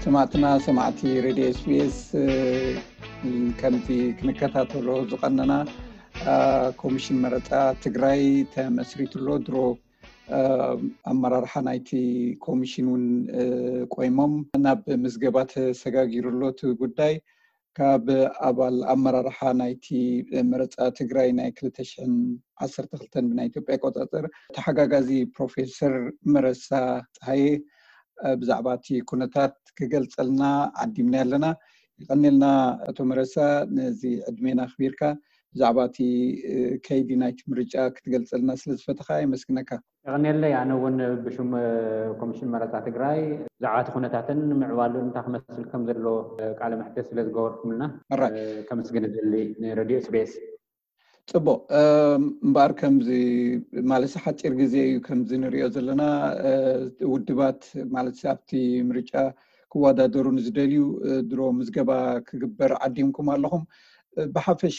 ሰማዕትና ሰማዕቲ ሬድዮ ኤስቢኤስ፣ ከምዚ ክንከታተሎ ዝቐነና፣ ኮሚሽን መረፃ ትግራይ ተመስሪቱ ኣሎ። ድሮ ኣመራርሓ ናይቲ ኮሚሽን እውን ቆይሞም ናብ ምዝገባ ተሰጋጊሩ ኣሎ እቲ ጉዳይ። ካብ ኣባል ኣመራርሓ ናይቲ መረፃ ትግራይ ናይ ክልተ ሽሕን ዓሰርተ ክልተን ብናይ ኢትዮጵያ ኣቆፃፅር ተሓጋጋዚ ፕሮፌሰር መረሳ ፀሃየ ብዛዕባ እቲ ኩነታት ክገልፀልና ዓዲምና ኣለና። ይቐኔልና ኣቶ መረሳ፣ ነዚ ዕድሜና ኣኽቢርካ ብዛዕባ እቲ ከይዲ ናይቲ ምርጫ ክትገልፀልና ስለ ዝፈተኻ የመስግነካ። የቐኔለይ። ኣነ እውን ብሽም ኮሚሽን መረፃ ትግራይ ብዛዕባ እቲ ኩነታትን ምዕባሉን እንታይ ክመስል ከም ዘሎ ቃለ መሕትት ስለ ዝገበርኩምልና ከመስግን እደሊ ንሬድዮ ኤስቢኤስ። ፅቡቅ። እምበኣር ከምዚ ማለት ሓፂር ግዜ እዩ ከምዚ ንሪኦ ዘለና። ውድባት ማለት ኣብቲ ምርጫ ክወዳደሩ ንዝደልዩ ድሮ ምዝገባ ክግበር ዓዲምኩም ኣለኹም። ብሓፈሻ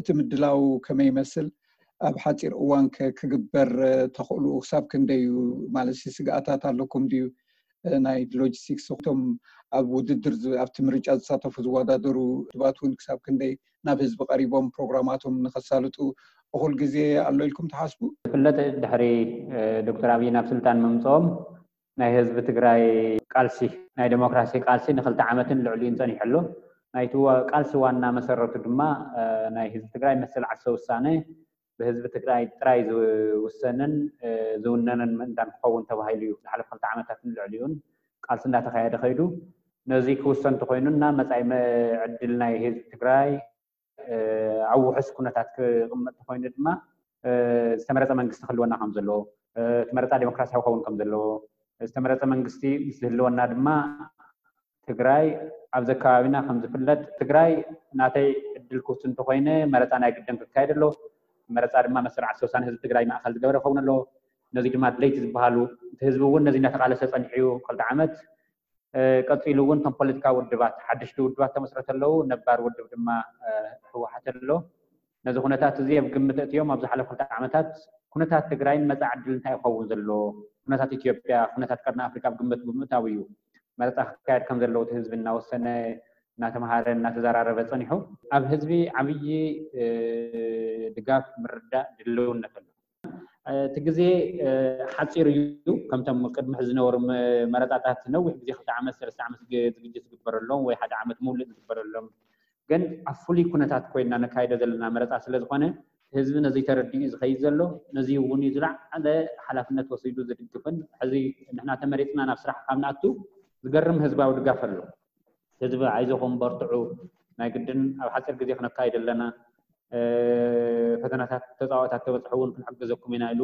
እቲ ምድላው ከመይ ይመስል? ኣብ ሓፂር እዋን ክግበር ተኽእሉ ክሳብ ክንደይ እዩ? ማለት ስግኣታት ኣለኩም ድዩ? ናይ ሎጂስቲክስ እቶም ኣብ ውድድር ኣብቲ ምርጫ ዝሳተፉ ዝወዳደሩ ውድባት እውን ክሳብ ክንደይ ናብ ህዝቢ ቀሪቦም ፕሮግራማቶም ንኸሳልጡ እኹል ግዜ ኣሎ ኢልኩም ትሓስቡ? ዝፍለጥ ድሕሪ ዶክተር ኣብይ ናብ ስልጣን ምምፅኦም ናይ ህዝቢ ትግራይ ቃልሲ፣ ናይ ዴሞክራሲ ቃልሲ ንክልተ ዓመትን ልዕሊኡን ፀኒሑ ኣሎ። ናይቲ ቃልሲ ዋና መሰረቱ ድማ ናይ ህዝቢ ትግራይ መሰል ዓርሰ ውሳነ ብህዝቢ ትግራይ ጥራይ ዝውሰንን ዝውነንን ምእንታን ክኸውን ተባሂሉ እዩ ዝሓለፈ ክልተ ዓመታትን ልዕሊኡን ቃልሲ እንዳተኻየደ ከይዱ። ነዚ ክውሰን እንተኮይኑና መፃኢ ዕድል ናይ ህዝቢ ትግራይ ኣብ ውሑስ ኩነታት ክቕመጥ እንተኮይኑ ድማ ዝተመረፀ መንግስቲ ክህልወና ከም ዘለዎ፣ እቲ መረፃ ዴሞክራሲያዊ ክኸውን ከም ዘለዎ፣ ዝተመረፀ መንግስቲ ምስ ዝህልወና ድማ ትግራይ ኣብዚ ከባቢና ከም ዝፍለጥ ትግራይ ናተይ ዕድል ክውስን እንተኮይነ መረፃ ናይ ግድን ክካየድ ኣሎ። መረፃ ድማ መሰል ዓርሰ ውሳነ ህዝቢ ትግራይ ማእከል ዝገበረ ክኸውን ኣለዎ። ነዚ ድማ ድለይቲ ዝበሃሉ እቲ ህዝቢ እውን ነዚ እናተቃለሰ ፀኒሑ እዩ ክልተ ዓመት። ቀፂሉ እውን እቶም ፖለቲካዊ ውድባት ሓደሽቲ ውድባት ተመስረተ ኣለዉ። ነባር ውድብ ድማ ህወሓት ኣሎ። ነዚ ኩነታት እዚ ኣብ ግምት እትዮም ኣብ ዝሓለፉ ክልተ ዓመታት ኩነታት ትግራይን መፃኢ ዕድል እንታይ ይኸውን ዘሎ ኩነታት ኢትዮጵያ ኩነታት ቀርኒ ኣፍሪካ ኣብ ግምት ብምእታው እዩ መረፃ ክካየድ ከም ዘለዎ እቲ ህዝቢ እናወሰነ እናተምሃረ እናተዘራረበ ፀኒሑ። ኣብ ህዝቢ ዓብዪ ድጋፍ ምርዳእ ድልውነት ኣሎ። እቲ ግዜ ሓፂር እዩ። ከምቶም ቅድሚ ሕዚ ዝነበሩ መረፃታት ነዊሕ ግዜ ክልተ ዓመት ሰለስተ ዓመት ዝግጅት ዝግበረሎም ወይ ሓደ ዓመት ሙሉእ ዝግበረሎም ግን ኣብ ፍሉይ ኩነታት ኮይና ነካይዶ ዘለና መረፃ ስለ ዝኾነ ህዝቢ ነዚ ተረዲኡ ዝኸይድ ዘሎ ነዚ እውን እዩ ዝለዓለ ሓላፍነት ወሲዱ ዝድግፍን ሕዚ ንሕና ተመሪፅና ናብ ስራሕ ካብ ንኣቱ ዝገርም ህዝባዊ ድጋፍ ኣሎ። ህዝቢ ኣይዞኹም በርትዑ ናይ ግድን ኣብ ሓፂር ግዜ ክነካይዶ ኣለና ፈተናታት ተፃዋታት ተበፅሑ እውን ክንሕግዘኩም ኢና ኢሉ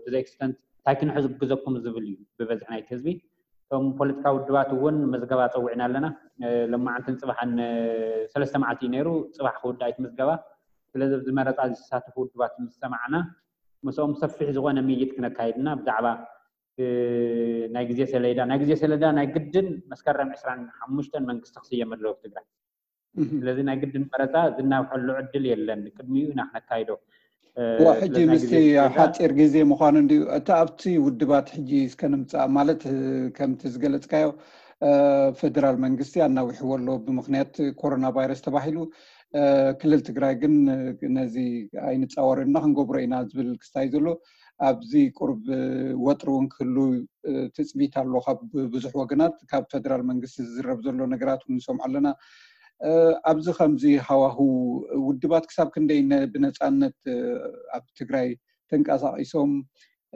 to the extent እንታይ ክንሕግዘኩም ዝብል እዩ ብበዝሒ ናይቲ ህዝቢ። እቶም ፖለቲካዊ ውድባት እውን ምዝገባ ፀዊዕና ኣለና። ለማዓንትን ፅባሓን ሰለስተ መዓልቲ እዩ ነይሩ። ፅባሕ ክውዳእ እቲ ምዝገባ። ስለዚ ኣብዚ መረፃ ዝሳተፉ ውድባት ምስ ሰማዕና ምስኦም ሰፊሕ ዝኾነ ምይይጥ ክነካይድና ብዛዕባ ናይ ግዜ ሰሌዳ ናይ ግዜ ሰሌዳ ናይ ግድን መስከረም ዕስራን ሓሙሽተን መንግስቲ ክስየም ኣለዎ ትግራይ። ስለዚ ናይ ግድን መረፃ ዝናውሐሉ ዕድል የለን። ቅድሚኡ ኢና ክነካይዶ። ሕጂ ምስቲ ሓፂር ግዜ ምዃኑ እንድዩ እቲ ኣብቲ ውድባት ሕጂ እስከ ንምፃእ ማለት ከምቲ ዝገለፅካዮ ፈደራል መንግስቲ ኣናዊሕዎ ኣሎ ብምክንያት ኮሮና ቫይረስ ተባሂሉ። ክልል ትግራይ ግን ነዚ ኣይንፃወርን እና ክንገብሮ ኢና ዝብል ክስታይ ዘሎ ኣብዚ ቁርብ ወጥሪ እውን ክህሉ ትፅቢት ኣሎ ካብ ብዙሕ ወገናት ካብ ፈደራል መንግስቲ ዝዝረብ ዘሎ ነገራት እውን ንሰምዖ ኣለና። ኣብዚ ከምዚ ሃዋህው ውድባት ክሳብ ክንደይ ብነፃነት ኣብ ትግራይ ተንቀሳቒሶም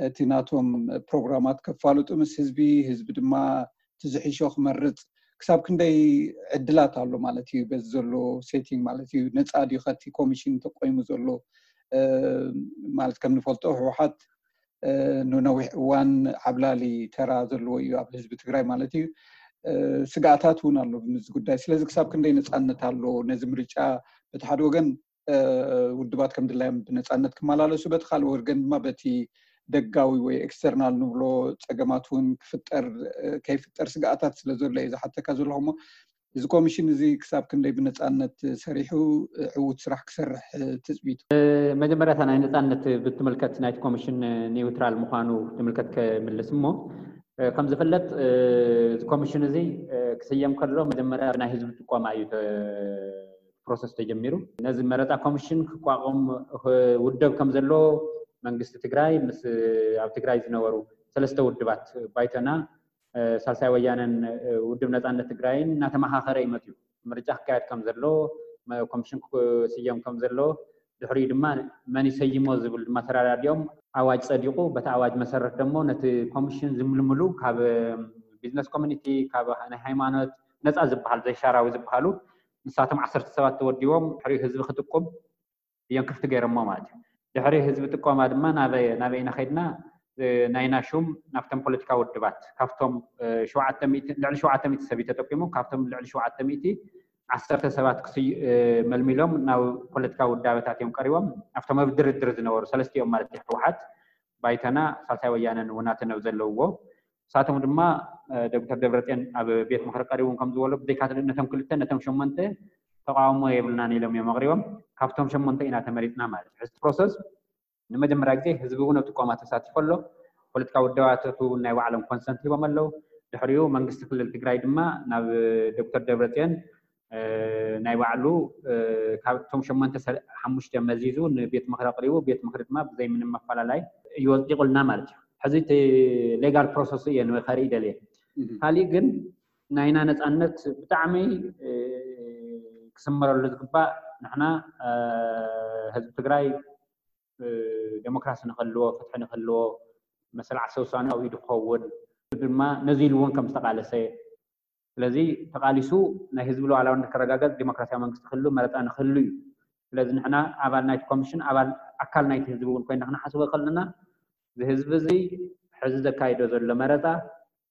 እቲ ናቶም ፕሮግራማት ከፋልጡ ምስ ህዝቢ ህዝቢ ድማ እቲ ዝሕሾ ክመርፅ ክሳብ ክንደይ ዕድላት ኣሎ ማለት እዩ በዚ ዘሎ ሴቲንግ ማለት እዩ ነፃ ድዩ ከቲ ኮሚሽን ተቆይሙ ዘሎ ማለት ከም ንፈልጦ ህወሓት ንነዊሕ እዋን ዓብላሊ ተራ ዘለዎ እዩ ኣብ ህዝቢ ትግራይ ማለት እዩ። ስጋኣታት እውን ኣሎ ብምዚ ጉዳይ ስለዚ ክሳብ ክንደይ ነፃነት ኣሎ ነዚ ምርጫ በቲ ሓደ ወገን ውድባት ከም ድላዮም ብነፃነት ክመላለሱ በቲ ካልእ ወገን ድማ በቲ ደጋዊ ወይ ኤክስተርናል ንብሎ ፀገማት እውን ክፍጠር ከይፍጠር ስጋኣታት ስለ ዘሎ እየ ዝሓተካ ዘለኹ እሞ እዚ ኮሚሽን እዚ ክሳብ ክንደይ ብነፃነት ሰሪሑ ዕዉት ስራሕ ክሰርሕ ትፅቢቱ? መጀመርያታ ናይ ነፃነት ብትምልከት ናይቲ ኮሚሽን ኒውትራል ምዃኑ ትምልከት ከምልስ እሞ ከም ዝፍለጥ እዚ ኮሚሽን እዚ ክስየም ከሎ መጀመርያ ናይ ህዝቢ ጥቆማ እዩ ፕሮሰስ ተጀሚሩ። ነዚ መረፃ ኮሚሽን ክቋቋም ውደብ ከም ዘሎ መንግስቲ ትግራይ ምስ ኣብ ትግራይ ዝነበሩ ሰለስተ ውድባት፣ ባይቶና፣ ሳልሳይ ወያነን ውድብ ነፃነት ትግራይን እናተመኻኸረ እዩ መፅዩ። ምርጫ ክካየድ ከም ዘሎ፣ ኮሚሽን ክስየም ከም ዘሎ፣ ድሕሪኡ ድማ መን ይሰይሞ ዝብል ድማ ተረዳዲኦም ኣዋጅ ፀዲቑ። በቲ ኣዋጅ መሰረት ደሞ ነቲ ኮሚሽን ዝምልምሉ ካብ ቢዝነስ ኮሚኒቲ፣ ካብ ናይ ሃይማኖት ነፃ ዝበሃል ዘይሻራዊ ዝበሃሉ ንሳቶም ዓሰርተ ሰባት ተወዲቦም ድሕሪኡ ህዝቢ ክጥቁም እዮም ክፍቲ ገይሮሞ ማለት እዩ። ድሕሪ ህዝቢ ጥቆማ ድማ ናበይ ኢና ከይድና? ናይና ሹም ናብቶም ፖለቲካ ውድባት ካብቶም ልዕሊ ሸውዓተ ሚእቲ ሰብ እዩ ተጠቂሙ። ካብቶም ልዕሊ ሸውዓተ ሚእቲ ዓሰርተ ሰባት ክስዩ መልሚሎም ናብ ፖለቲካ ውዳበታት እዮም ቀሪቦም። ኣብቶም ኣብ ድርድር ዝነበሩ ሰለስቲኦም ማለት እዩ፣ ህወሓት፣ ባይቶና፣ ሳልሳይ ወያነን ውናትን ኣብ ዘለውዎ፣ ንሳቶም ድማ ዶክተር ደብረፅዮን ኣብ ቤት ምክሪ ቀሪቡ ከም ዝበሎ፣ ብዘይካ ነቶም ክልተ ነቶም ሸሞንተ ተቃውሞ የብልናን ኢሎም እዮም ኣቅሪቦም። ካብቶም ሸሞንተ ኢና ተመሪፅና ማለት እዩ። ሕዚ ፕሮሰስ ንመጀመርያ ግዜ ህዝቢ እውን ኣብ ጥቆማ ተሳቲፎ ኣሎ። ፖለቲካ ውድባታት እውን ናይ ባዕሎም ኮንሰንት ሂቦም ኣለዉ። ድሕሪኡ መንግስቲ ክልል ትግራይ ድማ ናብ ዶክተር ደብረፅዮን ናይ ባዕሉ ካብቶም ሸሞንተ ሓሙሽተ መዚዙ ንቤት ምክሪ ኣቅሪቡ፣ ቤት ምክሪ ድማ ብዘይ ምንም መፈላለይ እዩ ኣፅዲቁልና ማለት እዩ። ሕዚ እቲ ሌጋል ፕሮሰስ እየ ከርኢ ደልየ። ካሊእ ግን ናይና ነፃነት ብጣዕሚ ክስመረሉ ዝግባእ፣ ንሕና ህዝቢ ትግራይ ዴሞክራሲ ንክህልዎ፣ ፍትሒ ንክህልዎ፣ መሰል ዓርሰ ውሳኔ ኣብ ኢዱ ክኸውን ድማ ነዚ ኢሉ እውን ከም ዝተቃለሰ፣ ስለዚ ተቃሊሱ ናይ ህዝቢ ሉዓላውነት ክረጋገጽ፣ ዴሞክራሲያዊ መንግስቲ ክህሉ፣ መረፃ ንክህሉ እዩ። ስለዚ ንሕና ኣባል ናይቲ ኮሚሽን፣ ኣባል ኣካል ናይቲ ህዝቢ እውን ኮይና ክንሓስቦ ከለና፣ እዚ ህዝቢ እዚ ሕዚ ዘካይዶ ዘሎ መረፃ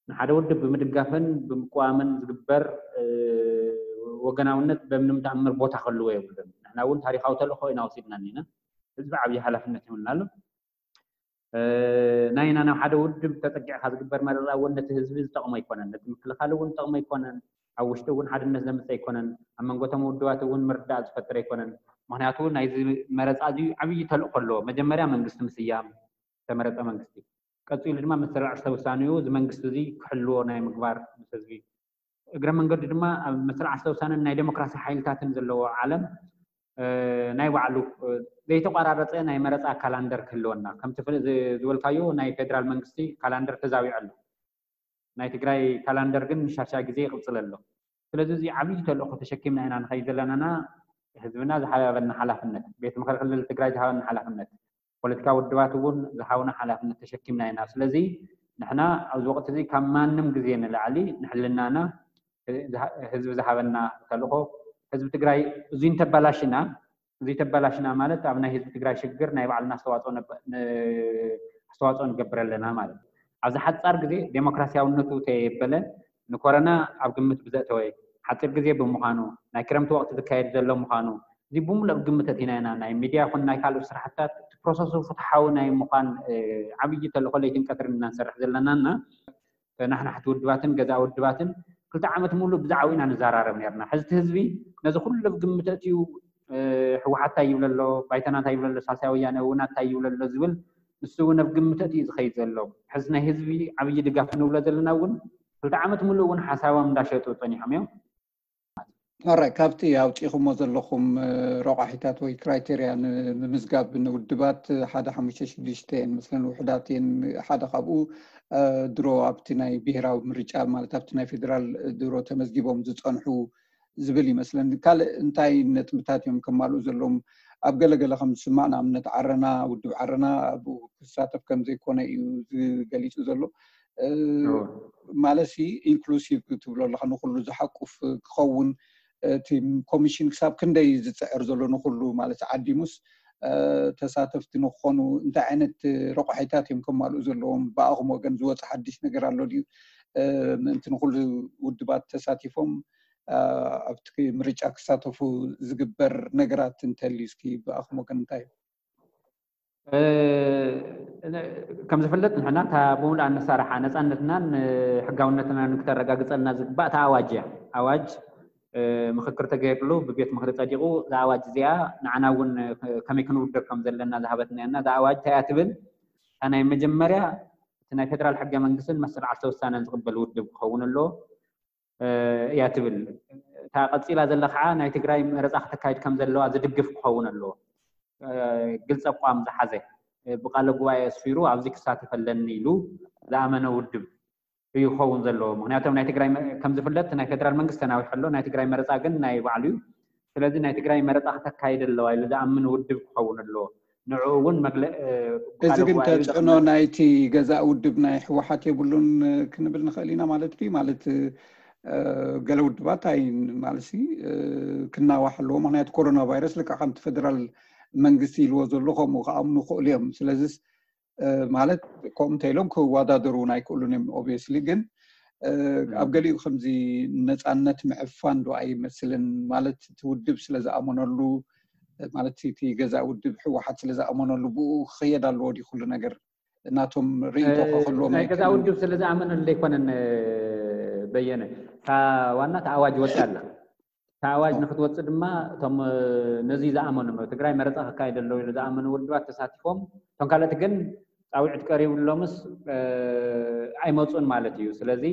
ንሓደ ውድብ ብምድጋፍን ብምቅዋምን ዝግበር ወገናውነት በምንም ተኣምር ቦታ ክህልዎ የብሉን። ንሕና እውን ታሪኻዊ ተልእኮ ኢና ወሲድና እኒና። ህዝቢ ዓብዪ ሓላፍነት ይውንና ኣሎ። ናይና ናብ ሓደ ውድብ ተፀጊዕካ ዝግበር መረፃ እውን ነቲ ህዝቢ ዝጠቕሞ ኣይኮነን፣ ነቲ ምክልኻል እውን ዝጠቕሞ ኣይኮነን፣ ኣብ ውሽጢ እውን ሓድነት ዘምፅእ ኣይኮነን፣ ኣብ መንጎቶም ውድባት እውን ምርዳእ ዝፈጥር ኣይኮነን። ምክንያቱ ናይዚ መረፃ እዚ ዓብዪ ተልእኮ ኣለዎ። መጀመርያ መንግስቲ ምስያም፣ ዝተመረፀ መንግስቲ፣ ቀፂሉ ድማ መሰል ዓርሰ ውሳኔኡ እዚ መንግስቲ እዚ ክሕልዎ ናይ ምግባር ምስ ህዝቢ እግረ መንገዱ ድማ ኣብ መስርዕ ኣስተውሳንን ናይ ዴሞክራሲ ሓይልታትን ዘለዎ ዓለም ናይ ባዕሉ ዘይተቋራረፀ ናይ መረፃ ካላንደር ክህልወና፣ ከምቲ ዝበልካዮ ናይ ፌደራል መንግስቲ ካላንደር ተዛዊዑ ኣሎ። ናይ ትግራይ ካላንደር ግን ንሻሻ ግዜ ይቕፅል ኣሎ። ስለዚ እዚ ዓብዪ ተልእኮ ተሸኪምና ኢና ንኸይድ ዘለናና ህዝብና ዝሃበና ሓላፍነት፣ ቤት ምክሪ ክልል ትግራይ ዝሃበና ሓላፍነት፣ ፖለቲካ ውድባት እውን ዝሃቡና ሓላፍነት ተሸኪምና ኢና። ስለዚ ንሕና ኣብዚ ወቅቲ እዚ ካብ ማንም ግዜ ንላዕሊ ንሕልናና፣ ህዝቢ ዝሃበና ተልእኮ፣ ህዝቢ ትግራይ እዚ እንተባላሽና፣ እዚ ተባላሽና ማለት ኣብ ናይ ህዝቢ ትግራይ ሽግር ናይ ባዕልና ኣስተዋፅኦ ንገብር ኣለና ማለት እዩ። ኣብዚ ሓፃር ግዜ ዴሞክራሲያውነቱ ተየበለ ንኮረና ኣብ ግምት ብዘእተወ ሓፂር ግዜ ብምዃኑ፣ ናይ ክረምቲ ወቅቲ ዝካየድ ዘሎ ምዃኑ፣ እዚ ብምሉእ ኣብ ግምት ኣእቲና ኢና ናይ ሚድያ ይኹን ናይ ካልኦት ስራሕትታት እቲ ፕሮሰሱ ፍትሓዊ ናይ ምዃን ዓብዪ ተልእኮ ለይትን ቀትርን ኢና ንሰርሕ ዘለና እና ተናሕናሕቲ ውድባትን ገዛ ውድባትን ክልተ ዓመት ሙሉእ ብዛዕባኡ ኢና ንዘራረብ ነርና። ሕዚ እቲ ህዝቢ ነዚ ኩሉ ኣብ ግምት ኣእትዩ ህወሓት እንታይ ይብል ኣሎ፣ ባይቶና እንታይ ይብል ኣሎ፣ ሳልሳይ ወያነ ውናት እንታይ ይብል ኣሎ ዝብል ንሱ እውን ኣብ ግምት ኣእትዩ ዝኸይድ ዘሎ። ሕዚ ናይ ህዝቢ ዓብዪ ድጋፍ ንብሎ ዘለና እውን ክልተ ዓመት ሙሉእ እውን ሓሳቦም እንዳሸጡ ፀኒሖም እዮም። ኦራይ፣ ካብቲ ኣውፂኹሞ ዘለኹም ረቋሒታት ወይ ክራይቴርያ ንምዝጋብ ንውድባት ሓደ ሓሙሽተ ሽዱሽተ እየን መስለን ውሕዳት እየን። ሓደ ካብኡ ድሮ ኣብቲ ናይ ብሄራዊ ምርጫ ማለት ኣብቲ ናይ ፌደራል ድሮ ተመዝጊቦም ዝፀንሑ ዝብል ይመስለኒ። ካልእ እንታይ ነጥብታት እዮም ከማልኡ ዘለዎም? ኣብ ገለገለ ከም ዝስማዕ ንኣብነት ዓረና፣ ውድብ ዓረና ኣብኡ ክሳተፍ ከም ዘይኮነ እዩ ዝገሊፁ ዘሎ። ማለት ሲ ኢንክሉሲቭ ትብሎ ኣለካ፣ ንኩሉ ዝሓቁፍ ክኸውን እቲ ኮሚሽን ክሳብ ክንደይ ዝፅዕር ዘሎ ንኩሉ ማለት ዓዲሙስ ተሳተፍቲ ንክኾኑ እንታይ ዓይነት ረቋሒታት እዮም ከማልኡ ዘለዎም? ብኣኹም ወገን ዝወፀ ሓድሽ ነገር ኣሎ ድዩ? ምእንቲ ንኩሉ ውድባት ተሳቲፎም ኣብቲ ምርጫ ክሳተፉ ዝግበር ነገራት እንተልዩ እስኪ ብኣኹም ወገን እንታይ እዩ? ከም ዝፍለጥ ንሕና እታ ብምሉእ ኣነሳርሓ ነፃነትናን ሕጋውነትናን ክተረጋግፀልና ዝግባእ እታ ኣዋጅ እያ። ኣዋጅ ምክክር ተገይርሉ ብቤት ምክሪ ፀዲቑ እዛ ኣዋጅ እዚኣ ንዓና እውን ከመይ ክንውድር ከም ዘለና ዝሃበትና እያ። እዛ ኣዋጅ እንታይ እያ ትብል? እታ ናይ መጀመርያ እቲ ናይ ፌደራል ሕገ መንግስትን መሰል ዓርሰ ውሳነን ዝቕበል ውድብ ክኸውን ኣለዎ። እያ ትብል። እታ ቀፂላ ዘላ ከዓ ናይ ትግራይ መረፃ ክተካይድ ከም ዘለዋ ዝድግፍ ክኸውን ኣለዎ። ግልፂ ኣቋም ዝሓዘ፣ ብቃለ ጉባኤ ኣስፊሩ ኣብዚ ክሳተፍ ኣለኒ ኢሉ ዝኣመነ ውድብ እዩ ክኸውን ዘለዎ። ምክንያቱ ናይ ትግራይ ከም ዝፍለጥ ናይ ፌደራል መንግስቲ ተናዊሑ ኣሎ። ናይ ትግራይ መረፃ ግን ናይ ባዕሉ እዩ። ስለዚ ናይ ትግራይ መረፃ ክተካይድ ኣለዋ ኢሉ ዝኣምን ውድብ ክኸውን ኣለዎ። ንዕኡ እውን መግለ እዚ ግን ተፅዕኖ ናይቲ ገዛእ ውድብ ናይ ህወሓት የብሉን ክንብል ንኽእል ኢና ማለት ድዩ? ማለት ገለ ውድባት ኣይ ማለት ክናዋሕ ኣለዎ። ምክንያቱ ኮሮና ቫይረስ ልካ ከምቲ ፌደራል መንግስቲ ኢልዎ ዘሎ ከምኡ ክኣምኑ ክእሉ እዮም። ስለዚስ ማለት ከምኡ እንተኢሎም ክወዳደሩ እውን ኣይክእሉን እዮም። ኦብቪየስሊ ግን ኣብ ገሊኡ ከምዚ ነፃነት ምዕፋን ዶ ኣይመስልን? ማለት እቲ ውድብ ስለ ዝኣመነሉ ማለት እቲ ገዛእ ውድብ ህወሓት ስለ ዝኣመነሉ ብኡ ክኸየድ ኣለዎ ድዩ ኩሉ ነገር? ናቶም ርእይቶ ከክህልዎም ናይ ገዛእ ውድብ ስለ ዝኣመነሉ ኣይኮነን በየነ። እታ ዋና እታ ኣዋጅ ወፅኣ ኣላ። እታ ኣዋጅ ንክትወፅእ ድማ እቶም ነዚ ዝኣመኑ ትግራይ መረፃ ክካየድ ኣለዎ ኢሉ ዝኣመኑ ውድባት ተሳቲፎም፣ እቶም ካልኦት ግን ፃውዒት ቀሪብሎምስ ኣይመፁን ማለት እዩ። ስለዚ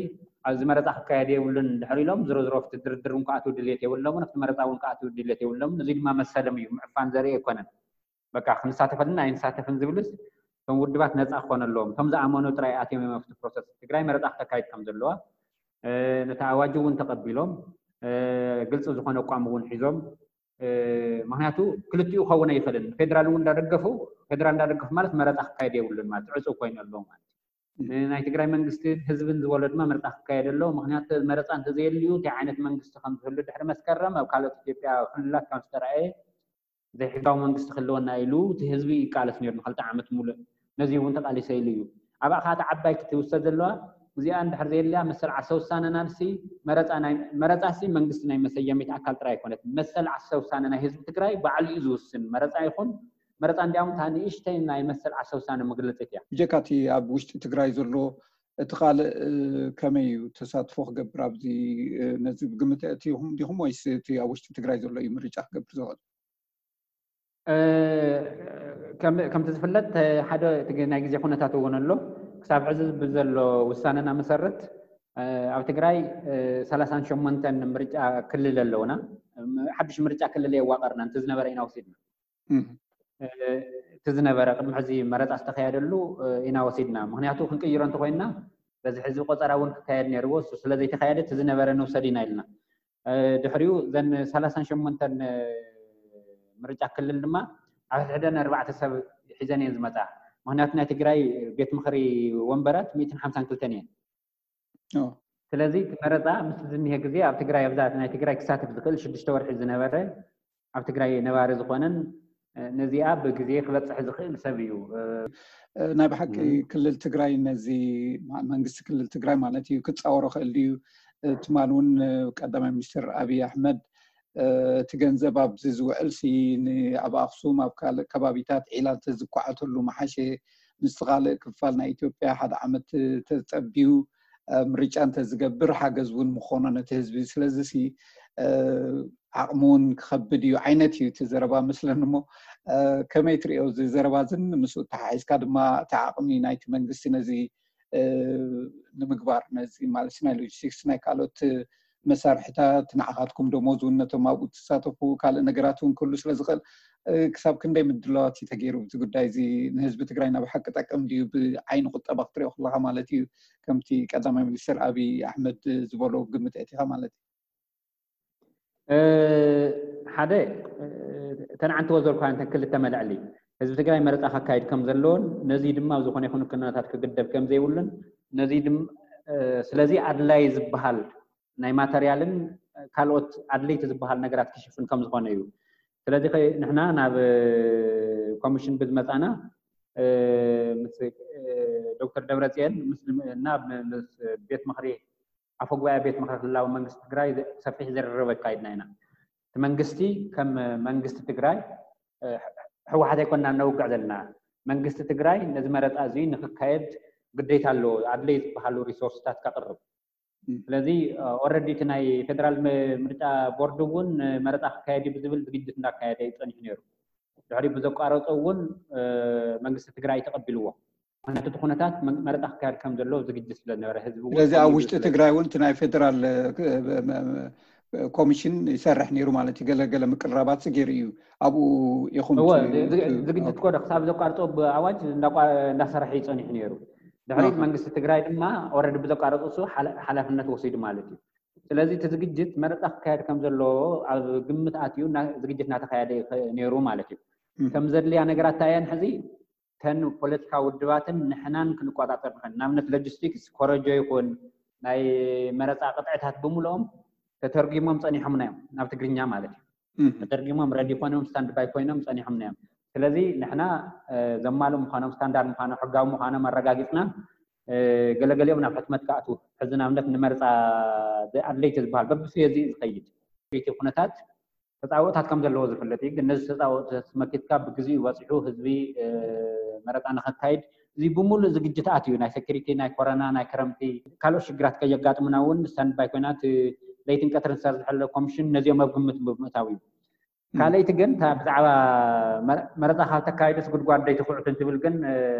ኣብዚ መረፃ ክካየድ የብሉን ድሕር ኢሎም ዝሮ ዝሮ ኣብቲ ድርድር እውን ክኣትው ድልየት የብሎምን፣ ኣብቲ መረፃ እውን ክኣትው ድልየት የብሎምን። እዚ ድማ መሰሎም እዩ፣ ምዕፋን ዘርኢ ኣይኮነን። በቃ ክንሳተፈልና ኣይንሳተፍን ዝብልስ እቶም ውድባት ነፃ ክኾነ ኣለዎም። እቶም ዝኣመኑ ጥራይ ኣትዮም እዮም ኣብቲ ፕሮሰስ። ትግራይ መረፃ ክተካይድ ከም ዘለዋ ነቲ ኣዋጅ እውን ተቐቢሎም ግልፂ ዝኾነ ኣቋም እውን ሒዞም። ምክንያቱ ክልቲኡ ክኸውን ኣይኽእልን። ፌደራል እውን እንዳደገፉ ፌደራል እንዳደገፉ ማለት መረፃ ክካየድ የብሉን ማለት ዕፁ ኮይኑ ኣለዎ ማለት እዩ። ናይ ትግራይ መንግስትን ህዝብን ዝበሎ ድማ መረፃ ክካየድ ኣለዎ። ምክንያቱ መረፃ እንተዘየልዩ እንታይ ዓይነት መንግስቲ ከም ዝህሉ ድሕሪ መስከረም ኣብ ካልኦት ኢትዮጵያ ክልላት ከም ዝተረኣየ ዘይሕጋዊ መንግስቲ ክህልወና ኢሉ እቲ ህዝቢ ይቃለስ ነይሩ ንክልተ ዓመት ሙሉእ። ነዚ እውን ተቃሊሰ ኢሉ እዩ። ኣብኣ ከዓ እታ ዓባይ ክትውሰድ ዘለዋ እዚኣ እንድሕር ዘየልያ መሰል ዓርሰ ውሳነና ንሲ መረፃ ናይ- መረፃ ሲ መንግስቲ ናይ መሰየሚት ኣካል ጥራይ ኣይኮነት። መሰል ዓርሰ ውሳነ ናይ ህዝቢ ትግራይ ባዕሉ እዩ ዝውስን። መረፃ ይኹን መረፃ እንዲያውም እታ ንእሽተይ ናይ መሰል ዓርሰ ውሳነ መግለፂት እያ። ብጀካ እቲ ኣብ ውሽጢ ትግራይ ዘሎ እቲ ካልእ ከመይ እዩ ተሳትፎ ክገብር ኣብዚ ነዚ ብግምት ኣእቲኹም ዲኹም ወይስ እቲ ኣብ ውሽጢ ትግራይ ዘሎ እዩ ምርጫ ክገብር ዝኽእል? ከምቲ ዝፍለጥ ሓደ ናይ ግዜ ኩነታት እውን ኣሎ። ክሳብ ሕዚ ብዘሎ ውሳነና መሰረት ኣብ ትግራይ ሰላሳን ሸሞንተን ምርጫ ክልል ኣለውና። ሓድሽ ምርጫ ክልል የዋቀርና፣ እንተ ዝነበረ ኢና ወሲድና። እቲ ዝነበረ ቅድሚ ሕዚ መረፃ ዝተካየደሉ ኢና ወሲድና። ምክንያቱ ክንቅይሮ እንተኮይንና በዚ ሕዚ ቆፀራ እውን ክካየድ ነይርዎ፣ እሱ ስለዘይተካየደ እቲ ዝነበረ ንውሰድ ኢና ኢልና። ድሕሪኡ ዘን ሰላሳን ሸሞንተን ምርጫ ክልል ድማ ኣብ ሕድሕደን ኣርባዕተ ሰብ ሒዘን እየን ዝመፃ። ምክንያቱ ናይ ትግራይ ቤት ምክሪ ወንበራት ሚእትን ሓምሳን ክልተን እየን። ስለዚ እቲ መረፃ ምስ ዝኒሀ ግዜ ኣብ ትግራይ ኣብዛ ናይ ትግራይ ክሳተፍ ዝኽእል ሽዱሽተ ወርሒ ዝነበረ ኣብ ትግራይ ነባሪ ዝኾነን ነዚኣ ብግዜ ክበፅሕ ዝኽእል ሰብ እዩ። ናይ ብሓቂ ክልል ትግራይ ነዚ መንግስቲ ክልል ትግራይ ማለት እዩ ክፃወሮ ክእል ድዩ? ትማል እውን ቀዳማይ ሚኒስትር ኣብይ ኣሕመድ እቲ ገንዘብ ኣብዚ ዝውዕል ሲ ኣብ ኣክሱም ኣብ ካልእ ከባቢታት ዒላ እንተዝኳዓተሉ መሓሸ፣ ምስቲ ካልእ ክፋል ናይ ኢትዮጵያ ሓደ ዓመት ተፀቢዩ ምርጫ እንተዝገብር ሓገዝ እውን ምኾኖ ነቲ ህዝቢ። ስለዚ ሲ ዓቕሚ እውን ክኸብድ እዩ ዓይነት እዩ እቲ ዘረባ መስለኒ። እሞ ከመይ ትሪኦ እዚ ዘረባ ዝን ምስኡ ተሓሒዝካ ድማ እቲ ዓቕሚ ናይቲ መንግስቲ ነዚ ንምግባር ነዚ ማለት ናይ ሎጂስቲክስ ናይ ካልኦት መሳርሕታት ንዓኻትኩም ደሞዝ እውን ነቶም ኣብኡ ትሳተፉ ካልእ ነገራት እውን ክህሉ ስለ ዝኽእል ክሳብ ክንደይ ምድላዋት እዩ ተገይሩ እዚ ጉዳይ እዚ ንህዝቢ ትግራይ ናብ ሓቂ ጠቅም ድዩ ብዓይኒ ቁጠባ ክትሪኦ ከለካ ማለት እዩ ከምቲ ቀዳማይ ሚኒስትር ኣብይ ኣሕመድ ዝበሎ ግምት ኣእቲኻ ማለት እዩ ሓደ እተን ዓንተዎ ዘልኳ እተን ክልተ መልዕሊ ህዝቢ ትግራይ መረፃ ከካይድ ከም ዘለዎን ነዚ ድማ ኣብ ዝኾነ ይኹን ኩነታት ክግደብ ከም ዘይብሉን ነዚ ስለዚ ኣድላይ ዝበሃል ናይ ማተርያልን ካልኦት ኣድለይቲ ዝበሃል ነገራት ክሽፍን ከም ዝኾነ እዩ። ስለዚ ንሕና ናብ ኮሚሽን ብዝመፃና ምስ ዶክተር ደብረፅየን እና ምስ ቤት ምክሪ ኣፈ ጉባኤ ቤት ምክሪ ክልላዊ መንግስቲ ትግራይ ሰፊሕ ዝርርብ ኣካይድና ኢና። እቲ መንግስቲ ከም መንግስቲ ትግራይ ህወሓት ኣይኮና ነውግዕ ዘለና። መንግስቲ ትግራይ ነዚ መረፃ እዚ ንክካየድ ግዴታ ኣለዎ ኣድለይ ዝበሃሉ ሪሶርስታት ከቅርብ። ስለዚ ኦረዲ እቲ ናይ ፌደራል ምርጫ ቦርድ እውን መረፃ ክካየድ እዩ ብዝብል ዝግጅት እንዳካየደ እዩ ፀኒሑ ነይሩ። ድሕሪ ብዘቋረፀ እውን መንግስቲ ትግራይ ተቀቢልዎ። ምክንያቱ እቲ ኩነታት መ- መረፃ ክካየድ ከም ዘለዎ ዝግጅት ስለ ዝነበረ ህዝቢ እውን ስለዚ ኣብ ፈሊጡ ውሽጢ ስለ- ትግራይ እውን እቲ ናይ ፌደራል እ፣ ክ- እ፣ እ፣ ኮሚሽን ይሰርሕ ነይሩ ማለት እዩ። ገለገለ ምቅርራባት ገይሩ እዩ። ኣብኡ ኢኹም እወ ት- ዝግ- ት- ዝግጅት ኦኬ። ኮደ ክሳብ ዘቋርጦ ብኣዋጅ እንዳቋ- እንዳሰርሐ እዩ ፀኒሑ ነይሩ። ድሕሪት ኣሃ። መንግስቲ ትግራይ ድማ ኦረዲ ብዘቋረጡ እሱ ሓላ- ሓላፍነት ወሲዱ ማለት እዩ። ስለዚ እቲ ዝግጅት መረፃ ክካየድ ከም ዘለዎ ኣብ ግምት ኣትዩ እና- ዝግጅት እናተካየደ እዩ ከ- ነይሩ ማለት እዩ። እም። ከም ዘድልያ ነገራት እንታይ እየን ሕዚ ተን ፖለቲካ ውድባትን ንሕናን ክንቆፃፀር ንኽእል። ንኣብነት ሎጂስቲክስ ኮረጆ ይኹን ናይ መረፃ ቅጥዕታት ብምልኦም ተተርጊሞም ፀኒሖምና እዮም ናብ ትግርኛ ማለት እዩ። እም። ተተርጊሞም ረዲ ኮይኖም ስታንድ ባይ ኮይኖም ፀኒሖምና እዮም። ስለዚ ንሕና እ፣ ዘማልኡ ምዃኖም ስታንዳርድ ምዃኖም ሕጋዊ ምዃኖም ኣረጋጊፅና እ፣ ገለገሊኦም ናብ ሕትመት ክኣትዉ ሕዚ ንኣብነት ንመርፃ ኣድለይቲ ዝበሃል በብፍየ እዚ ዝኸይድ ቤት ኩነታት ተፃወታት ከም ዘለዎ ዝፍለጥ እዩ። ግን ነዚ ተፃወታት መኪትካ ብግዜኡ በፂሑ ህዝቢ እ፣ መረፃ ንኸካይድ እዚ ብምሉእ ዝግጅታት እዩ። ናይ ሴኪሪቲ፣ ናይ ኮረና፣ ናይ ክረምቲ ካልኦት ሽግራት ከየጋጥሙና እውን ስታንድ ባይ ኮይና እቲ ለይትን ቀትርን ዝሰርዝሐለ ኮሚሽን ነዚኦም ኣብ ግምት ብምእታው እዩ። ካልኣይቲ ግን እታ ብዛዕባ መረ- መረፃ ካብ ተካይድስ ጉድጓድ ደይትኩዕት እንትብል ግን እ፣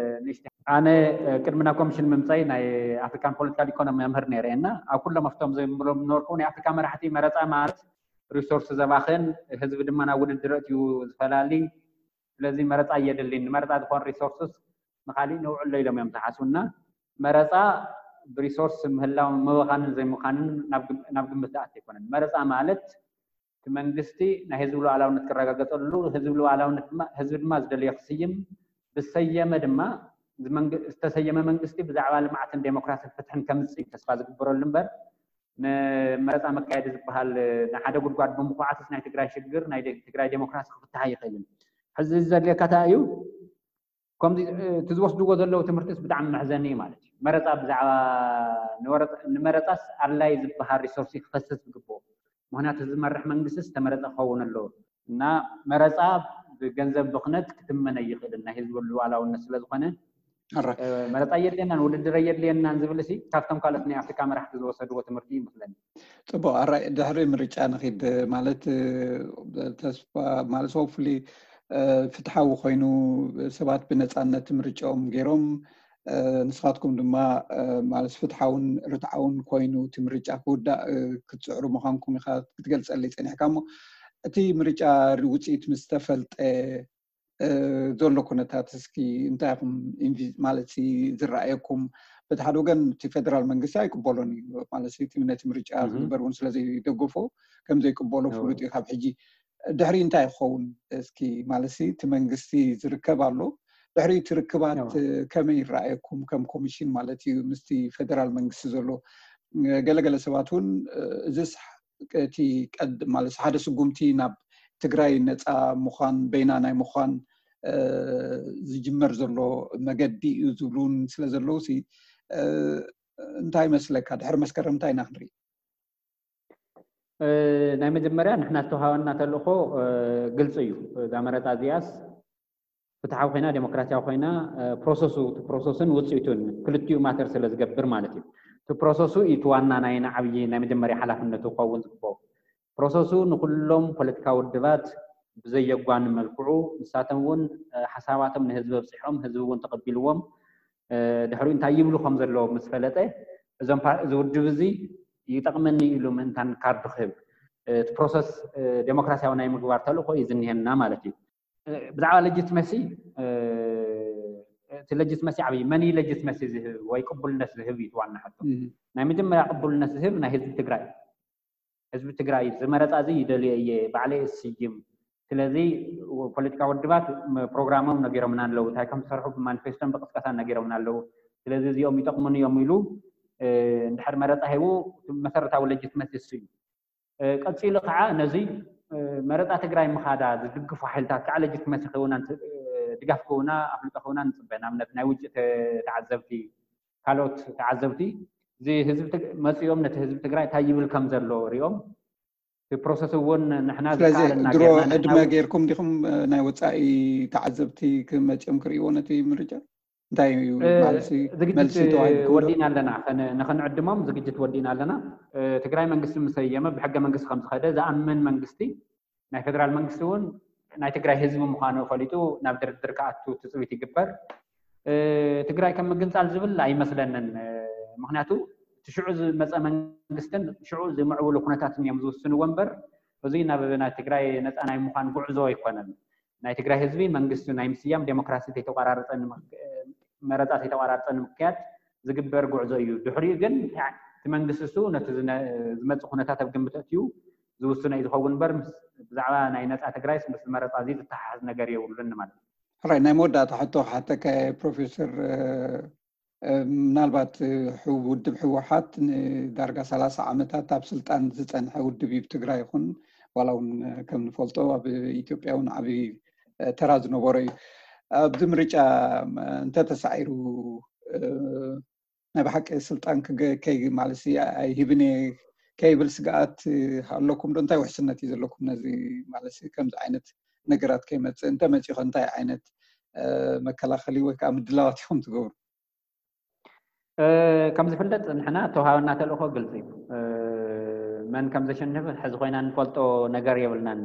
ንእሽተይ ኣነ እ፣ ቅድሚ ናብ ኮሚሽን ምምፀይ ናይ ኣፍሪካን ፖለቲካል ኢኮኖሚ መምህር ነይረ እና ኣብ ኩሎም ኣብቶም ዘንብሎም ነበርኩ ናይ ኣፍሪካ መራሕቲ መረፃ ማለት ሪሶርስ ዘባኽን ህዝቢ ድማ ናብ ውድድር እትዩ ዝፈላሊ ስለዚ መረፃ እየድልኝ ንመረፃ ዝኾን ሪሶርስስ ንካሊእ ነውዕሎ ኢሎም እዮም ዝሓስቡና መረፃ ብሪሶርስ ምህላው ምባኻንን ዘይምዃንን ናብ ግም- ናብ ግምት ዝኣት ኣይኮነን መረፃ ማለት እቲ መንግስቲ ናይ ህዝቢ ሉዓላውነት ክረጋገፀሉ ህዝቢ ሉዓላውነት ድማ ህዝቢ ድማ ዝደለዮ ክስይም ብሰየመ ድማ እዚ መንግ- ዝተሰየመ መንግስቲ ብዛዕባ ልምዓትን ዴሞክራሲን ፍትሕን ከምፅእ እዩ ተስፋ ዝግበረሉ እምበር ንመረፃ መካየዲ ዝበሃል ንሓደ ጉድጓድ ብምኩዓትስ ናይ ትግራይ ሽግር ናይ ደ- ትግራይ ዴሞክራሲ ክፍትሕ ኣይኽእልን ሕዚ ዘድልየካ እንታይ እዩ ከምዚ እ፣ እቲ ዝወስድዎ ዘለዉ ትምህርትስ ብጣዕሚ መሕዘኒ እዩ ማለት እዩ መረፃ ብዛዕባ ንወረፃ- ንመረፃስ ኣድላይ ዝበሃል ሪሶርስ ክፈስስ ዝግብኦ ምክንያቱ ዝመርሕ መንግስቲ ዝተመረፀ ክኸውን ኣለዎ እና መረፃ ብገንዘብ ብክነት ክትመን ኣይኽእልን ናይ ህዝቢ ሉዓላውነት ስለዝኾነ ኣረ- እ፣ መረፃ የድልየናን ውድድር የድልየናን ዝብል ሲ ካብቶም ካልኦት ናይ ኣፍሪካ መራሕቲ ዝወሰድዎ ትምህርቲ ይመስለኒ ፅቡቅ ኣራይ ድሕሪ ምርጫ ንኺድ ማለት እ፣ ተስፋ ማለት ሆፕፉሊ ፍትሓዊ ኮይኑ ሰባት ብነፃነት ምርጫኦም ገይሮም እ፣ ንስኻትኩም ድማ እ፣ ማለት ፍትሓውን ርትዓውን ኮይኑ እቲ ምርጫ ክውዳእ እ፣ ክትፅዕሩ ምዃንኩም ኢኻ ክትገልፀለይ ፀኒሕካ እሞ እቲ ምርጫ ውፅኢት ምስ ተፈልጠ እ፣ ዘሎ ኩነታት እስኪ እንታይ ኢኹም ኢንቪ- ማለት ሲ ዝረኣየኩም በቲ ሓደ ወገን እቲ ፌደራል መንግስቲ ኣይቅበሎን እዩ ማለት ሲ እቲ ነቲ ምርጫ እህ። ክግበር እውን ስለ ዘይደገፎ ከም ዘይቅበሎ እዎ። ፍሉጥ እዩ ካብ ሕጂ ድሕሪ እንታይ ክኸውን እስኪ ማለት ሲ እቲ መንግስቲ ዝርከብ ኣሎ ድሕሪ እቲ ርክባት እዎ። እ፣ ከመይ ይረኣየኩም ከም ኮሚሽን ማለት እዩ ምስቲ ፌደራል መንግስቲ ዘሎ እ፣ ገለገለ ሰባት እውን እ፣ እዚስ እቲ ቀድ ማለት ሓደ ስጉምቲ ናብ ትግራይ ነፃ ምዃን በይና ናይ ምዃን እ፣ ዝጅመር ዘሎ መገዲ እዩ ዝብሉን ስለ ዘለዉ ሲ እ፣ እንታይ ይመስለካ ድሕሪ መስከረም እንታይ ኢና ክንርኢ እ፣ ናይ መጀመርያ ንሕና ዝተውሃበና ተልእኮ እ፣ ግልፂ እዩ እዛ መረፃ እዚኣስ ፍትሓዊ ኮይና ዴሞክራሲያዊ ኮይና እ፣ ፕሮሰሱ እቲ ፕሮሰስን ውፅኢቱን ክልቲኡ ማተር ስለ ዝገብር ማለት እዩ እቲ ፕሮሰሱ እዩ እቲ ዋና ናይ ንዓብዪ ናይ መጀመርያ ሓላፍነቱ ክኸውን ዝግበኦ ፕሮሰሱ ንኩሎም ፖለቲካዊ ውድባት ብዘየጓኒ መልክዑ ንሳቶም እውን እ፣ ሓሳባቶም ንህዝቢ ኣብፅሖም ህዝቢ እውን ተቐቢልዎም እ፣ ድሕሪኡ እንታይ ይብሉ ከም ዘለዎም ምስ ፈለጠ እዞም ፓ- እዚ ውድብ እዚ ይጠቕመኒ ኢሉ ምእንታን ካርዱ ክህብ እ፣ እቲ ፕሮሰስ እ፣ ዴሞክራሲያዊ ናይ ምግባር ተልእኮ እዩ ዝኒሀና ማለት እዩ እ፣ ብዛዕባ ሌጂትመሲ እ፣ እቲ ሌጂትመሲ ዓብዪ መን እዩ ሌጂትመሲ ዝህብ ወይ ቅቡልነት ዝህብ እዩ እቲ ዋና ሕቶ እም። ናይ መጀመርያ ቅቡልነት ዝህብ ናይ ህዝቢ ትግራይ ህዝቢ ትግራይ ዝመረፃ እዚ ይደልዮ እየ ባዕለይ እስይም ስለዚ ፖለቲካ ውድባት ም- ፕሮግራሞም ነጊሮምና ኣለዉ እንታይ ከም ዝሰርሑ ብማኒፌስቶን ብቅስቀሳን ነጊሮምና ኣለዉ ስለዚ እዚኦም ይጠቕሙን እዮም ኢሉ እ፣ እንድሕር መረፃ ሂቡ መሰረታዊ ሌጂትመሲ እሱ እዩ እ፣ ቀፂሉ ከዓ ነዚ እ፣ መረፃ ትግራይ ምኻዳ ዝድግፉ ሓይልታት ከዓ ሌጂትመሲ ክህቡና ንፅ- እ፣ ድጋፍ ክህቡና ኣፍልጦ ክህቡና ንፅበ ንኣብነት ናይ ውጭ ተ- ተዓዘብቲ ካልኦት ተዓዘብቲ እዚ ህዝቢ ትግ- መፂኦም ነቲ ህዝቢ ትግራይ እንታይ ይብል ከም ዘሎ ሪኦም እቲ ፕሮሰስ እውን ንሕና ስለዚ ዝከኣለና ድሮ ጌርና ዕድመ ንሓዊ- ጌርኩም ዲኹም እ፣ ናይ ወፃኢ ተዓዘብቲ ክመፅኦም ክርእይዎ ነቲ ምርጫ እንታይ እዩ እ፣ ማለት ሲ ዝግጅት መልሲ ተዋሂብኩም ዶ? ወዲእና ኣለና ከነ- ንኸንዕድሞም ዝግጅት ወዲእና ኣለና እ፣ ትግራይ መንግስቲ ምሰየመ ብሕገ መንግስቲ ከም ዝኸደ ዝኣምን መንግስቲ ናይ ፌደራል መንግስቲ እውን ናይ ትግራይ ህዝቢ ምዃኑ ፈሊጡ ናብ ድርድር ክኣቱ ትፅቢት ይግበር ትግራይ ከም ምግንፃል ዝብል ኣይመስለንን። ምክንያቱ እቲ ሽዑ ዝመፀ መንግስትን ሽዑ ዝምዕብሉ ኩነታትን እዮም ዝውስንዎ እምበር፣ እዚ ናብ ናይ ትግራይ ነፃ ናይ ምዃን ጉዕዞ ኣይኮነን። ናይ ትግራይ ህዝቢ መንግስቲ ናይ ምስያም፣ ዴሞክራሲ ተይተቋራረፀ መረፃ ተይተቋራረፀ ንምክያድ ዝግበር ጉዕዞ እዩ። ድሕሪኡ ግን እቲ መንግስቲ እሱ ነቲ ዝመፅእ ኩነታት ኣብ ግምት ኣእትዩ ዝውስኖ እዩ ዝኸውን እምበር፣ ብዛዕባ ናይ ነፃ ትግራይስ ምስ መረፃ እዚ ዝተሓሓዝ ነገር የብሉን ማለት እዩ። ሕራይ፣ ናይ መወዳእታ ሕቶ ክሓተካ ፕሮፌሰር፣ ምናልባት ውድብ ህወሓት ንዳርጋ ሰላሳ ዓመታት ኣብ ስልጣን ዝፀንሐ ውድብ እዩ። ትግራይ ይኹን ዋላ እውን ከም ንፈልጦ ኣብ ኢትዮጵያ እውን ዓብዪ ተራ ዝነበሮ እዩ። ኣብዚ ምርጫ እንተተሳዒሩ ናይ ብሓቂ ስልጣን ማለት ኣይህብን እየ ከይብል ስግኣት ኣለኩም ዶ? እንታይ ውሕስነት እዩ ዘለኩም ነዚ ማለት ከምዚ ዓይነት ነገራት ከይመፅእ? እንተመፂኡ እንታይ ዓይነት መከላኸሊ ወይ ከዓ ምድላዋት ኢኹም ትገብሩ? ከም ዝፍለጥ ንሕና ተውሃበና ተልእኮ ግልፂ እዩ። መን ከም ዘሸንፍ ሕዚ ኮይና እንፈልጦ ነገር የብልናን።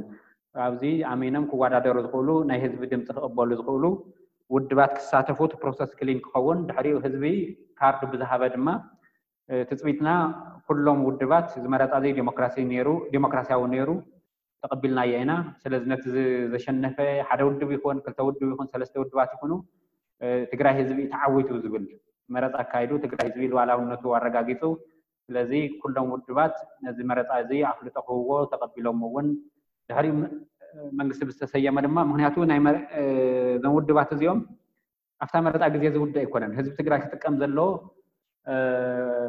ኣብዚ ኣሚኖም ክወዳደሩ ዝኽእሉ፣ ናይ ህዝቢ ድምፂ ክቕበሉ ዝኽእሉ ውድባት ክሳተፉ እቲ ፕሮሰስ ክሊን ክኸውን፣ ድሕሪኡ ህዝቢ ካርድ ብዝሃበ ድማ ትፅቢትና ኩሎም ውድባት ዝመረፃ ዘይ ዴሞክራሲያዊ ነይሩ ተቐቢልናዮ ኢና። ስለዚ ነቲ ዘሸነፈ ሓደ ውድብ ይኹን ክልተ ውድብ ይኹን ሰለስተ ውድባት ይኹኑ ትግራይ ህዝቢ ተዓዊቱ ዝብል መረፃ ኣካይዱ ትግራይ ህዝቢ ልዋላውነቱ ኣረጋጊፁ። ስለዚ ኩሎም ውድባት ነዚ መረፃ እዚ ኣፍልጦ ክህብዎ ተቐቢሎም እውን ድሕሪ መንግስቲ ብዝተሰየመ ድማ ምክንያቱ ናይ እዞም ውድባት እዚኦም ኣብታ መረፃ ግዜ ዝውደ ኣይኮነን። ህዝቢ ትግራይ ክጥቀም ዘለዎ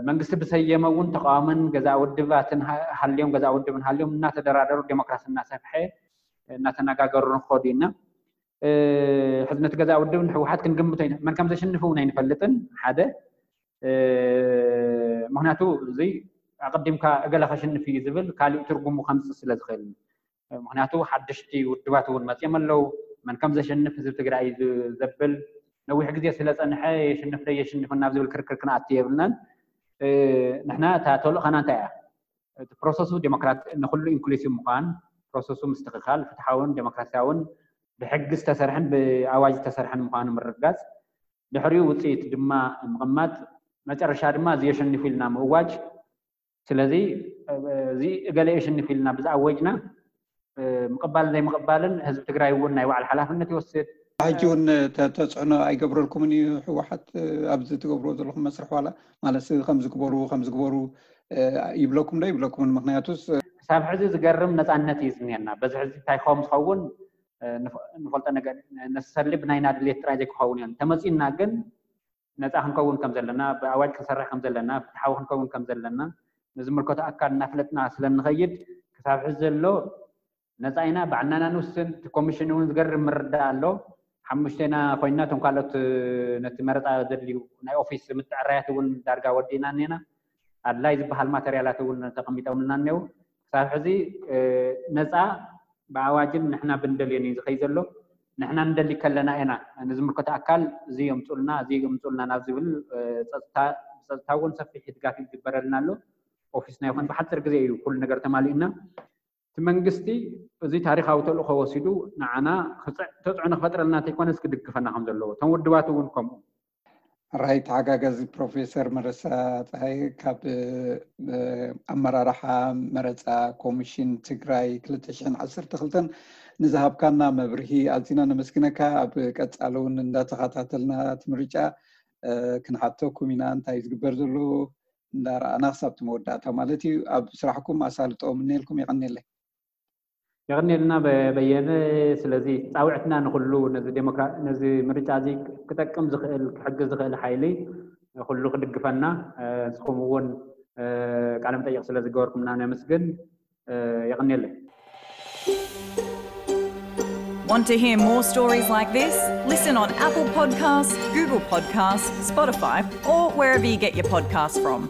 መንግስቲ ብሰየመ እውን ተቃዋምን ገዛ ውድባትን ሃልዮም ገዛ ውድብን ሃልዮም እናተደራደሩ ዴሞክራሲ እናሰፍሐ እናተነጋገሩ ንክኸዱ ኢና። ሕዝነት ገዛ ውድብ ንህወሓት ክንግምቶ ኢና። መን ከም ዘሽንፍ እውን ኣይንፈልጥን። ሓደ ምክንያቱ እዚ ኣቀዲምካ እገለ ከሽንፍ እዩ ዝብል ካሊእ ትርጉሙ ከምፅእ ስለ ዝኽእል። ምክንያቱ ሓደሽቲ ውድባት እውን መፅኦም ኣለዉ። መን ከም ዘሸንፍ ህዝቢ ትግራይ እዩ ዘብል ነዊሕ ግዜ ስለ ፀንሐ የሽንፍ ዶ የሽንፍ ናብ ዝብል ክርክር ክንኣቱ የብልናን። ንሕና እታ ተልእኸና እንታይ እያ? እቲ ፕሮሰሱ ዴሞክራት ንኩሉ ኢንክሉሲቭ ምዃን፣ ፕሮሰሱ ምስትኽኻል ፍትሓውን ዴሞክራሲያውን ብሕጊ ዝተሰርሐን ብኣዋጅ ዝተሰርሐን ምዃኑ ምርግጋፅ፣ ድሕሪኡ ውፅኢት ድማ ምቕማጥ፣ መጨረሻ ድማ እዚ የሸንፉ ኢልና ምእዋጅ። ስለዚ እዚ እገለ የሸንፉ ኢልና ብዝኣወጅና ምቕባልን ዘይምቕባልን ህዝቢ ትግራይ እውን ናይ ባዕሉ ሓላፍነት ይወስድ። ሕጂ እውን ተፅዕኖ ኣይገብረልኩምን እዩ ህወሓት ኣብዚ ትገብርዎ ዘለኹም መስርሕ ዋላ ማለት ከምዚ ግበሩ ከምዚ ግበሩ ይብለኩም ዶ ይብለኩምን? ምክንያቱስ ክሳብ ሕዚ ዝገርም ነፃነት እዩ ዝኒሀና። በዚ ሕዚ እንታይ ክኸውን ዝኸውን ንፈልጦ ነገር ነሰሰርሊ ብናይና ድሌት ጥራይ ዘይክኸውን እዮም ተመፂኡና ግን ነፃ ክንከውን ከም ዘለና ብኣዋጅ ክንሰርሕ ከም ዘለና ፍትሓዊ ክንከውን ከም ዘለና ንዝምልከቶ ኣካል እናፍለጥና ስለ እንኸይድ ክሳብ ሕዚ ዘሎ ነፃ ኢና ባዕልና ኢና ንውስን። እቲ ኮሚሽን እውን ዝገርም ምርዳእ ኣሎ። ሓሙሽቴና ኮይንና እቶም ካልኦት ነቲ መረፃ ዘድልዩ ናይ ኦፊስ ምትዕራያት እውን ዳርጋ ወዲእና እኒና ኣድላይ ዝበሃል ማተርያላት እውን ተቐሚጦምልና እኒው። ክሳብ ሕዚ ነፃ ብኣዋጅን ንሕና ብንደልዮን እዩ ዝኸይ ዘሎ። ንሕና ንደሊ ከለና ኢና ንዝምልከቶ ኣካል እዚ የምፁልና እዚ የምፁልና ናብ ዝብል ብፀጥታ እውን ሰፊሕ ድጋፍ ይግበረልና ኣሎ። ኦፊስና ይኹን ብሓፂር ግዜ እዩ ኩሉ ነገር ተማሊኡና። እቲ መንግስቲ እዚ ታሪካዊ ተልእኮ ወሲዱ ንዓና ተፅዕኖ ክፈጥረልና እንተይኮነስ ክድግፈና ከም ዘለዎ እቶም ውድባት እውን ከምኡ። ራይት ሓጋጋዚ ፕሮፌሰር መረሳ ፀሃይ ካብ ኣመራርሓ መረፃ ኮሚሽን ትግራይ ክልተ ሽሕን ዓሰርተ ክልተን ንዝሃብካና መብርሂ ኣዚና ነመስግነካ። ኣብ ቀፃሊ እውን እንዳተኸታተልና እቲ ምርጫ ክንሓተኩም ኢና እንታይ ዝግበር ዘሎ እንዳረኣና ክሳብ እቲ መወዳእታ ማለት እዩ። ኣብ ስራሕኩም ኣሳልጦ ምነየልኩም። የቐንየለይ። የቐንየልና በየነ። ስለዚ ፃውዕትና ንኩሉ ነዚ ምርጫ እዚ ክጠቅም ዝኽእል ክሕግዝ ዝኽእል ሓይሊ ኩሉ ክድግፈና ንስኹም እውን ቃለ መጠይቕ ስለ ዝገበርኩምና ነመስግን። የቐንየለይ። Want to hear more stories like this? Listen on Apple Podcasts, Google Podcasts, Spotify, or wherever you get your podcasts from.